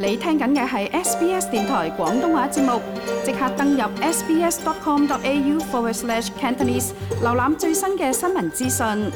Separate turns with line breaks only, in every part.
你聽緊嘅係 SBS 電台廣東話節目，即刻登入 sbs.com.au/Cantonese 瀏覽最新嘅新聞資訊。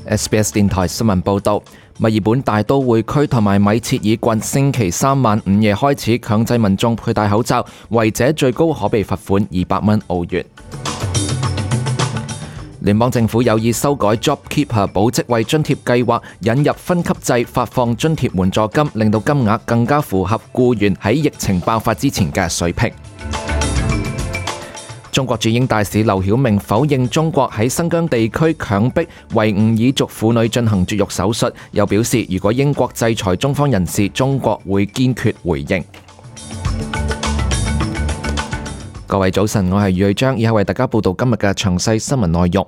SBS 電台新聞報導，墨爾本大都會區同埋米切爾郡星期三晚午夜開始強制民眾佩戴口罩，違者最高可被罰款200澳元。聯邦政府有意修改 JobKeeper 保職位津貼計劃，引入分級制發放津貼援助金，令到金額更加符合僱員喺疫情爆發之前嘅水平。中國駐英大使劉曉明否認中國喺新疆地區強迫維吾爾族婦女進行絕育手術，又表示如果英國制裁中方人士，中國會堅決回應。各位早晨，我係余偉章，以下為大家報道今日嘅詳細新聞內容。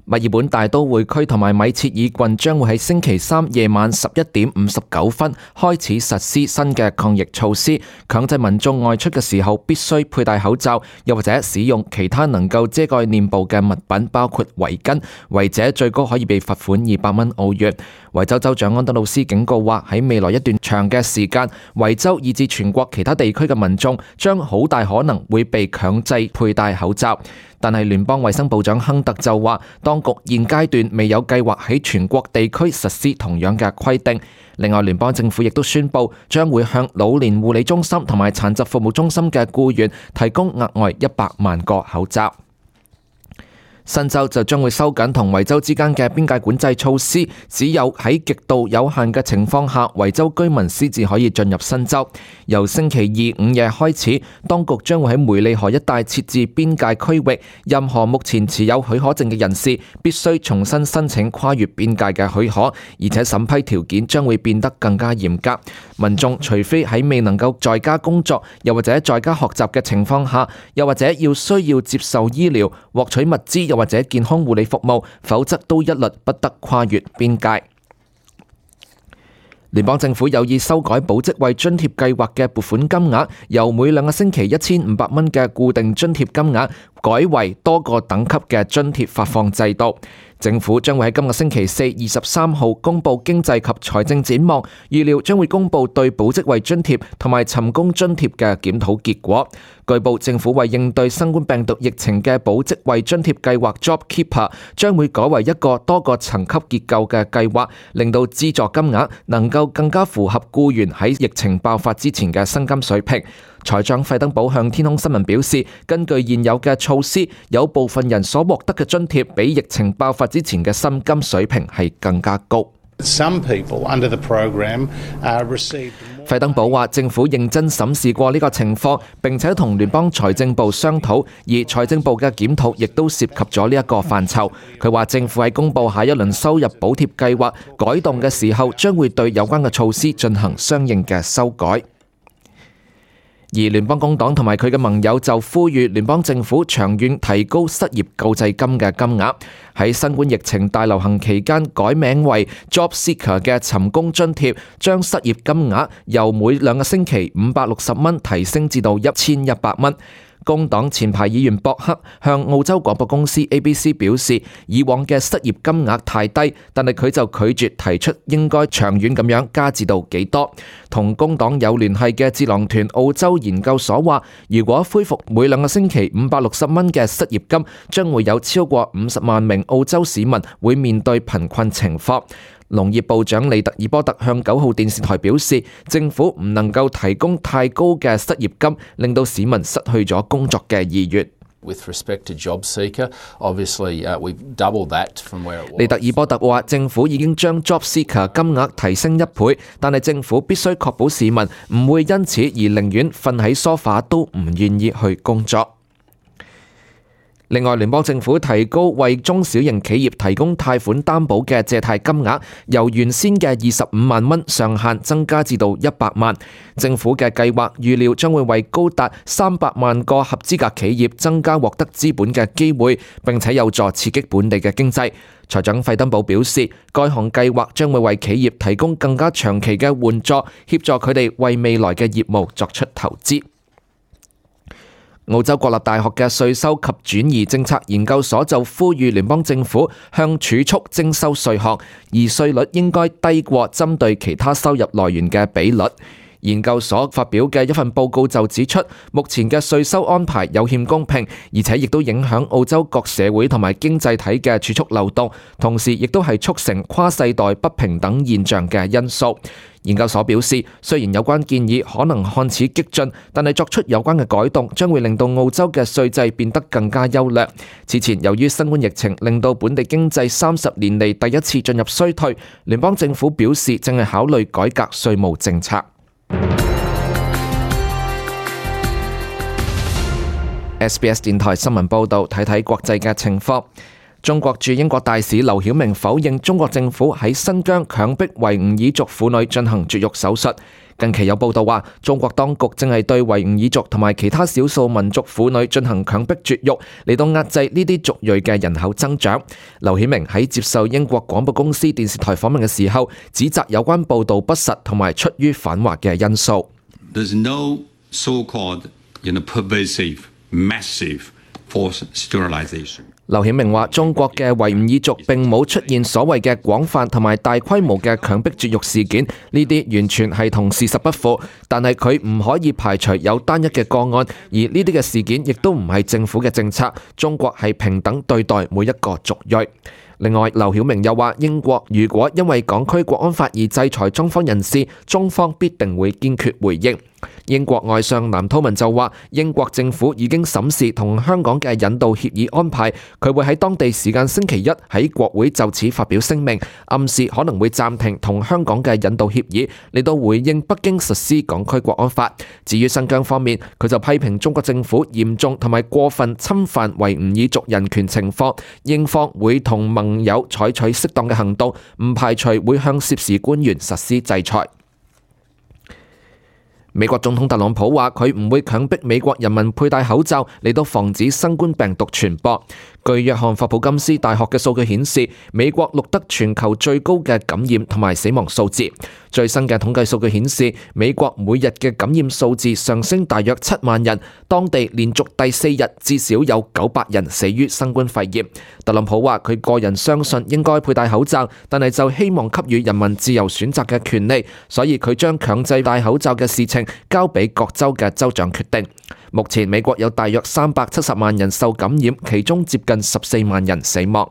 墨爾本大都會區同埋米切爾郡將會喺星期三夜晚11:59開始實施新嘅抗疫措施，強制民眾外出嘅時候必須佩戴口罩，又或者使用其他能夠遮蓋臉部嘅物品，包括圍巾，違者最高可以被罰款200澳元。維州州長安德魯斯警告話，喺未來一段長嘅時間，維州以至全國其他地區嘅民眾將好大可能會被強制佩戴口罩。但係聯邦衛生部長亨特就話，當局現階段未有計劃喺全國地區實施同樣嘅規定。另外，聯邦政府亦都宣布將會向老年護理中心同埋殘疾服務中心嘅僱員提供額外100萬個口罩。新州就將會收緊同維州之間嘅邊界管制措施，只有喺極度有限嘅情況下，維州居民先至可以進入新州。由星期二午夜開始，當局將會喺梅利河一帶設置邊界區域，任何目前持有許可證嘅人士必須重新申請跨越邊界嘅許可，而且審批條件將會變得更加嚴格。民眾除非喺未能夠在家工作，又或者在家學習嘅情況下，又或者需要接受醫療、獲取物資，又或者健康護理服務，否則都一律不得跨越邊界。聯邦政府有意修改保職位津貼計劃嘅撥款金額，由每2個星期1500嘅固定津貼金額改為多個等級嘅津貼發放制度。政府將會喺今個星期四23號公布經濟及財政展望，預料將會公布對保職位津貼同埋尋工津貼嘅檢討結果。據報，政府為應對新冠病毒疫情嘅保職位津貼計劃 JobKeeper 將會改為一個多個層級結構嘅計劃，令到資助金額能夠更加符合僱員喺疫情爆發之前嘅薪金水平。財長費登堡向天空新聞表示，根據現有嘅措施，有部分人所獲得嘅津貼比疫情爆發之前嘅薪金水平係更加高。費登堡話，政府認真審視過呢個情況，並且同聯邦財政部商討，而財政部嘅檢討亦都涉及咗呢一個範疇。佢話政府喺公布下一輪收入補貼計劃改動嘅時候，將會對有關嘅措施進行相應嘅修改。而聯邦工黨同埋佢嘅盟友就呼籲聯邦政府長遠提高失業救濟金嘅金額，喺新冠疫情大流行期間改名為 Job Seeker 嘅尋工津貼，將失業金額由每2個星期560提升至到1100。工黨前排議員博克向澳洲廣播公司 ABC 表示，以往嘅失業金額太低，但係佢就拒絕提出應該長遠咁樣加至到幾多。同工黨有聯繫嘅智囊團澳洲研究所話，如果恢復每2個星期560嘅失業金，將會有超過50萬名澳洲市民會面對貧困情況。農業部長利特爾波特向9號電視台表示，政府唔能夠提供太高嘅失業金，令到市民失去咗工作嘅意願。利特爾波特話，政府已經將 Job Seeker 金額提升1倍，但係政府必須確保市民唔會因此而寧願瞓喺梳化都唔願意去工作。另外，聯邦政府提高為中小型企業提供貸款擔保嘅借貸金額，由原先嘅25萬蚊上限增加至到100萬。政府嘅計劃預料將會為高達300萬個合資格企業增加獲得資本嘅機會，並且有助刺激本地嘅經濟。財長費登堡表示，該項計劃將會為企業提供更加長期嘅援助，協助佢哋為未來嘅業務作出投資。澳洲國立大學嘅稅收及轉移政策研究所就呼籲聯邦政府向儲蓄徵收稅項，而稅率應該低過針對其他收入來源嘅比率。研究所發表嘅一份報告就指出，目前嘅稅收安排有欠公平，而且亦都影響澳洲各社會同埋經濟體嘅儲蓄流動，同時亦都係促成跨世代不平等現象嘅因素。研究所表示，雖然有關建議可能看似激進，但係作出有關嘅改動將會令到澳洲嘅稅制變得更加優良。此前由於新冠疫情令到本地經濟30年嚟第一次進入衰退，聯邦政府表示正係考慮改革稅務政策。SBS 電台新聞報導，睇睇國際嘅情況。中國駐英國大使劉曉明否認中國政府喺新疆強迫維吾爾族婦女進行絕育手術。近期有報道話，中國當局正係對維吾爾族同埋其他少數民族婦女進行強迫絕育，嚟到壓制呢啲族裔嘅人口增長。劉曉明喺接受英國廣播公司電視台訪問嘅時候，指責有關報導不實同埋出於反華嘅因素。
There's no so-called, pervasive, massive forced sterilization.
劉曉明話：中國嘅維吾爾族並冇出現所謂嘅廣泛同埋大規模嘅強迫絕育事件，呢啲完全係同事實不符。但係佢唔可以排除有單一嘅個案，而呢啲嘅事件亦都唔係政府嘅政策。中國係平等對待每一個族裔。另外，劉曉明又話：英國如果因為港區國安法而制裁中方人士，中方必定會堅決回應。英國外相藍韜文就話：英國政府已經審視同香港嘅引渡協議安排，佢會喺當地時間星期一喺國會就此發表聲明，暗示可能會暫停同香港嘅引渡協議，嚟到回應北京實施港區國安法。至於新疆方面，佢就批評中國政府嚴重同埋過分侵犯維吾爾族人權情況，英方會同盟友採取適當嘅行動，唔排除會向涉事官員實施制裁。美國總統特朗普話：佢唔會強迫美國人民佩戴口罩嚟到防止新冠病毒傳播。據約翰霍普金斯大學嘅數據顯示，美國錄得全球最高嘅感染同埋死亡數字。最新嘅統計數據顯示，美國每日嘅感染數字上升大約7萬人，當地連續第4日至少有900人死於新冠肺炎。特朗普話：佢個人相信應該佩戴口罩，但係就希望給予人民自由選擇嘅權利，所以佢將強制戴口罩嘅事情交俾各州嘅州長決定。目前美國有大約370萬人受感染，其中接近14萬人死亡。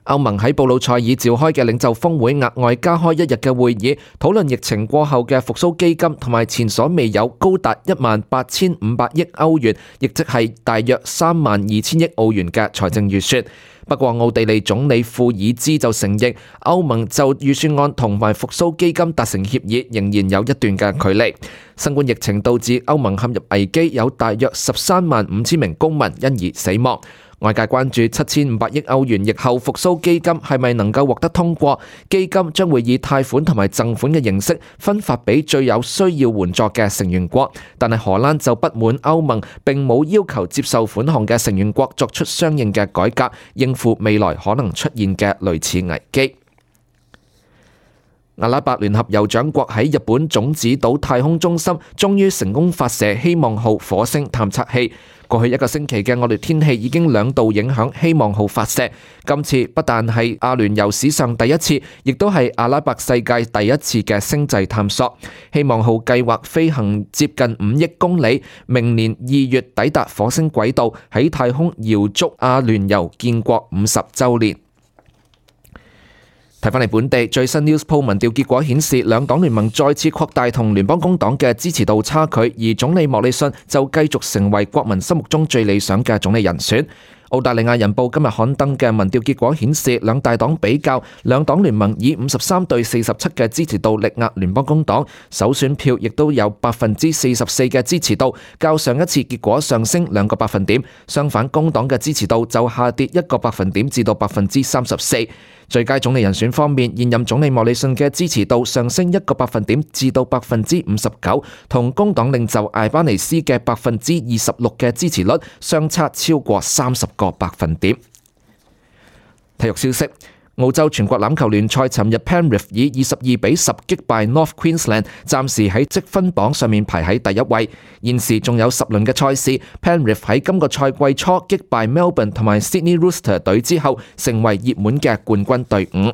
歐盟喺布魯塞爾召開嘅領袖峰會額外加開1日嘅會議，討論疫情過後嘅復甦基金同埋前所未有高達18500億歐元，亦即係大約32000億澳元嘅財政預算。不過奧地利總理庫爾茲就承認，歐盟就預算案同埋復甦基金達成協議仍然有一段嘅距離。新冠疫情導致歐盟陷入危機，有大約135000名公民因而死亡。外界關注7500億歐元疫後復甦基金係咪能夠獲得通過？基金將會以貸款同埋贈款嘅形式分發俾最有需要援助嘅成員國，但係荷蘭就不滿歐盟並冇要求接受款項嘅成員國作出相應嘅改革，應付未來可能出現嘅類似危機。阿拉伯聯合酋長國喺日本種子島太空中心終於成功發射希望號火星探測器。過去1個星期嘅惡劣天氣已經2度影響希望號發射，今次不但係阿聯酋史上第一次，亦都係阿拉伯世界第一次嘅星際探索。希望號計劃飛行接近5億公里，明年2月抵達火星軌道，喺太空遙祝阿聯酋建國50週年。睇返嚟本地最新 Newspoll 民調結果顯示，兩黨聯盟再次擴大同聯邦工黨嘅支持度差距，而總理莫里遜就繼續成為國民心目中最理想嘅總理人選。澳大利亞人報今日刊登嘅民調結果顯示，兩大黨比較，兩黨聯盟以53對47嘅支持度力壓聯邦工黨，首選票亦都有44%嘅支持度，較上一次結果上升2個百分點。相反，工黨嘅支持度就下跌1個百分點至到34%。最佳總理人選方面，現任總理莫里遜嘅支持度上升1個百分點至到59%，同工黨領袖艾巴尼斯嘅26%嘅支持率相差超過30個百分點。體育消息。澳洲全國欖球聯賽尋日 Penrith 以22-10擊敗 North Queensland， 暫時喺積分榜上面排喺第一位。現時仲有10輪嘅賽事 ，Penrith 喺今個賽季初擊敗 Melbourne 同埋 Sydney Roosters 隊之後，成為熱門嘅冠軍隊伍。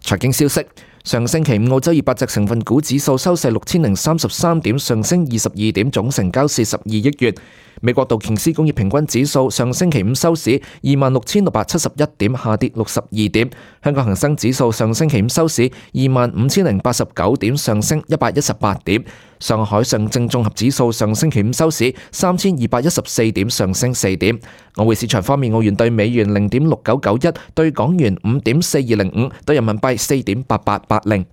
財經消息。上星期五，澳洲200隻成分股指數收市6033點，上升22點，總成交42億元。美國道瓊斯工業平均指數上星期五收市26671點，下跌62點。香港恒生指數上星期五收市25089點，上升118點。上海上證綜合指數上星期五收市3214點，上升4點。外匯市場方面，澳元對美元0.6991，對港元5.4205，對人民幣4.8880。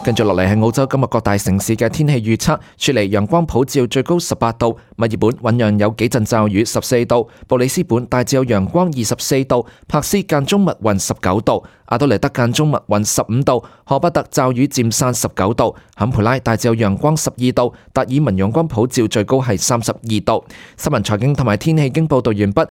跟住落嚟係澳洲今日各大城市嘅天氣預測：雪梨陽光普照，最高18度；墨爾本醞釀有幾陣驟雨，14度；布里斯本大致有陽光，24度；柏斯間中密雲，19度；阿德萊德間中密雲，15度；荷巴特驟雨漸散，19度；坎培拉大致有陽光，12度；達爾文陽光普照，最高係32度。新聞財經同埋天氣經報道完畢。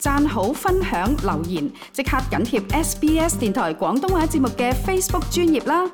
讚好、分享、留言，即刻緊貼SBS 電台廣東話節目嘅 Facebook 專頁啦！